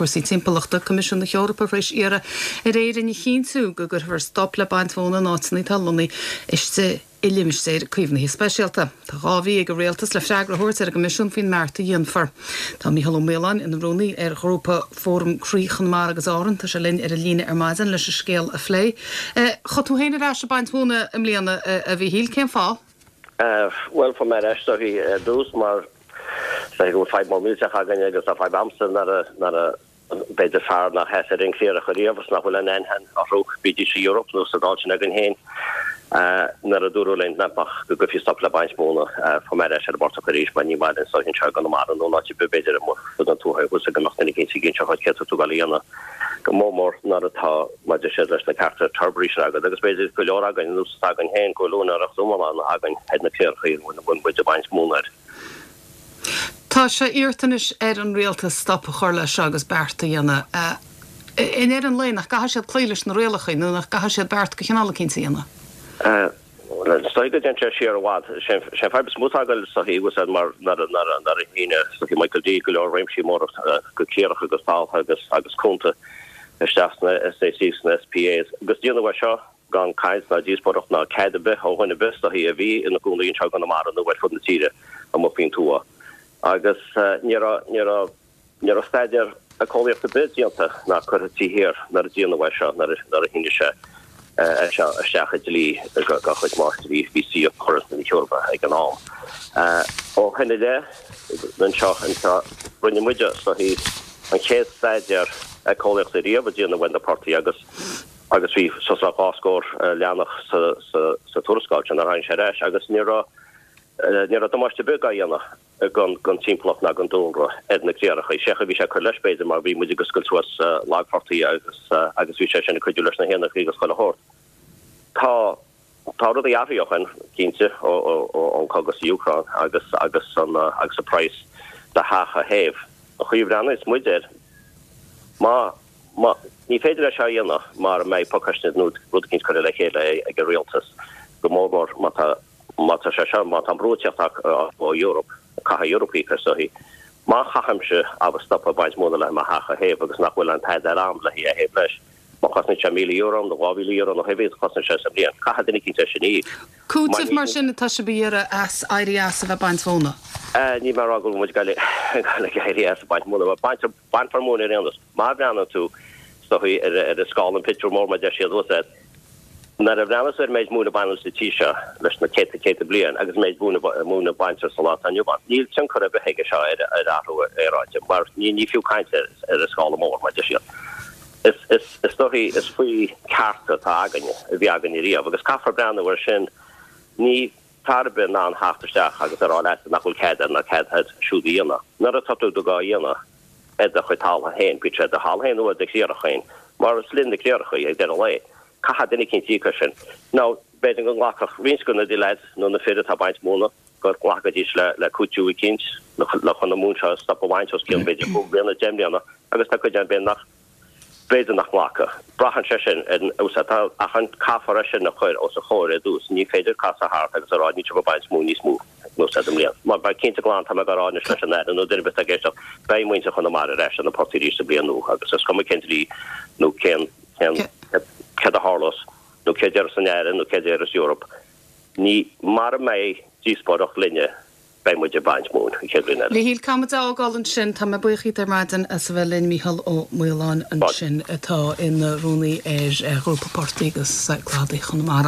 Cúrsaí Timpeallachta, Coimisiún na hEorpa tar éis iarraidh ar Éirinn a chinntiú go gcuirfear stop le baint mhóna in áiteanna atá lonnaithe istigh i limistéir caomhnaithe speisialta. Tá 2 mhí ag an Rialtas le freagra a thabhairt ar an gCoimisiún faoin mbeart a dhéanfar. Tá Mícheál Ó Maoláin ina rúnaí ar ghrúpa Fóram Croí Chonamara agus Árann. Tá sé linn ar an líne ar maidin leis an scéal a phlé. Chuaigh tú féin ar ais ag baint mhóna i mbliana, a Mhíchíl, cén fáth? Bhuel, fuair mé ar ais uirthi ar dtús mar is dóiche go bhfuil fadhb mór millteach againn agus tá fadhb a'msa nuair a, nuair a, b'fhéidir fear nár sheas ar aon chliarach ariamh is nach bhfuil aon aithne orthu, bídís sa Europe nó sa Dáil sin againn féin, nuair a dúradh linn nach mbeadh, go gcuirfí stop le baint móna, fuair mé ar ais ar an bportach arís mar ní maith linn is dóiche anseo i gConamara nó in áit ar bith b'fhéidir amuigh fud an tuaithe thuas go mbeadh duine eicínt ag inseacht dhuit céard tá tú ag dul a dhéanamh. Go mór mór nuair atá, mar a deir siad, leis na cearta turbary sin agat agus b'fhéidir go leor againn, ar nós againn féin, go bhfuil úinéireacht iomlán againn ar na cléireachaí a bhfuil muid ag baint móna air. Tá sé iarrta anois ar an rialtas stop a chur leis seo agus beart a dhéanamh. I ndeireadh an lae, nach gcaithfidh siad cloí leis na rialacha nó nach gcaithfidh siad beart de chineál eicínt a dhéanamh? Bhuel, is dóigh go dtéann sé siar i bhfad. Sé an fadhb is mó atá againn is dóichí thuas ann mar nuair a shínigh is dóichí Michael D go leor réimsí móra de chliaracha agus taltha agus agus cuanta isteach sna SACs sna SPAs agus déanadh é seo gan caint ná díospóireacht ná cead ar bith ó dhuine ar bith is dóichí a bhí ina gcónaí anseo i gConamara nó ar fud na tíre amuigh faoin tuath. Agus ní raibh ní raibh Ní raibh staidéar éiceolaíochta ar bith déanta ná curtha taobh thiar nuair a déanadh é seo, nuair a shínigh sé é seo isteach i dlí de chuid máistrí bhí Fhoras na hEorpa ag an am. Ó shin i leith, anseo, anseo, rinne muide, is dóichí, an chéad staidéar éiceolaíochta riamh a déanadh ar na portaigh agus agus bhí suas le 2 scór leathanach sa sa sa tuarascáil sin ar tháinig sé ar ais agus ní raibh ní raibh damáiste ar bith dhá dhéanamh. don timpeallacht ná don dúlra ar na cléireacha. Sé a bhí sé ag cur leis, b'fhéidir, mar bhí muid ag oscailt suas lagphortaigh agus agus bhí sé sin ag cuidiú leis na héanacha agus chuile shórt. Tá tá rudaí athraithe ó shin, cinnte, ó ó ón cogadh sa Úcráin agus agus an agus an praghas do theach a théamh. An chaoi a bhreathnaíos muid air, má má ní féidir é seo a dhéanamh mara mbeidh pacáiste nó rud eicínt curtha le chéile ag an rialtas, go mór mór má tá Má tá sé seo, má tá an brú ag teacht ó Europe, caithfidh Europe íoc as dóichí. Má chaithimse abair stop ag baint móna le mo theach a théamh agus nach bhfuil an tada a'm le hé a théamh leis, má chosnaíonn sé €1,000 nó €2,000 nó cibé a chosnaíonn sé sa bhliain, caithfidh duine eicínt é sin a íoc. Cúiteamh mar sin atá sibh a iarraidh as éirí as a bheith ag baint mhóna? Níl mé ag rá go bhfuil muid ag goil ag éirí as ag baint móna. Bainfear móin ar aon nós. Má bhreathnaíonn tú, is dóichí, ar an scála, an pictiúr mór mar a deir siad, bhfuil 'fhios a'd, Nuair a bhreathnaíos ar an méid móin a baineadh sa tír seo leis na céadta céadta bliain agus an méid móin a baintear sa lá atá inniu ann, níl tionchar ar bith aige seo ar athrú aeráide mar ní fiú caint air ar an scála mór, mar a deir siad. Is dóichí, is faoi cearta atá againne, a bhí againne riamh, agus caithfear breathnú air sin. Ní fear ar bith in ann theacht isteach agus a rá leat nach bhfuil cead air ná cead air siúd a dhéanamh. Nuair atá tú dhá dhéanamh, ar do chuid talmhan féin, bíodh sé ar do thalamh féin nó ar do chliarach féin, mar is linn na cliarachaí ag deireadh an lae. Caithfidh duine eicínt íoc as sin. Now, b'fhéidir go nglacfadh roinnt de na leaids nó na fir atá ag baint móna, go nglacfaidís le le cúiteamh eicínt le chun an mhóin seo a stop a bhaint os cionn b'fhéidir cúig bliana, deich mbliana, agus tá cuid ann b'fhéidir nach B'fhéidir nach nglacfadh. Braitheann sé sin ar an úsáid atá ach an caithfear é sin a chur os a chomhair ar dtús. Ní féidir casadh thart agus a rá níl sibh ag baint móin níos mó nó sa mbliain. Mar beidh cinnte glan tá mé ag rá anois leis an Aire nó duine ar bith atá ag éisteacht, beidh muintir Chonamara ar ais ar na portaigh arís sa bhliain nua agus is cuma cén dlí nó cén cén céard a tharlós nó céard a déarfas an Aire nó céard a déarfas Europe. Ní mara mbeidh díospóireacht linne Beidh muid ag baint móin an chéad bhliain eile. A Mhíchíl, caithfidh muid a fhágáil ansin. Tá mé buíoch díot ar maidin as a bheith linn, Mícheál Ó Maoláin ansin atá ina rúnaí ar Ghrúpa Portaigh agus Cladaigh Chonamara.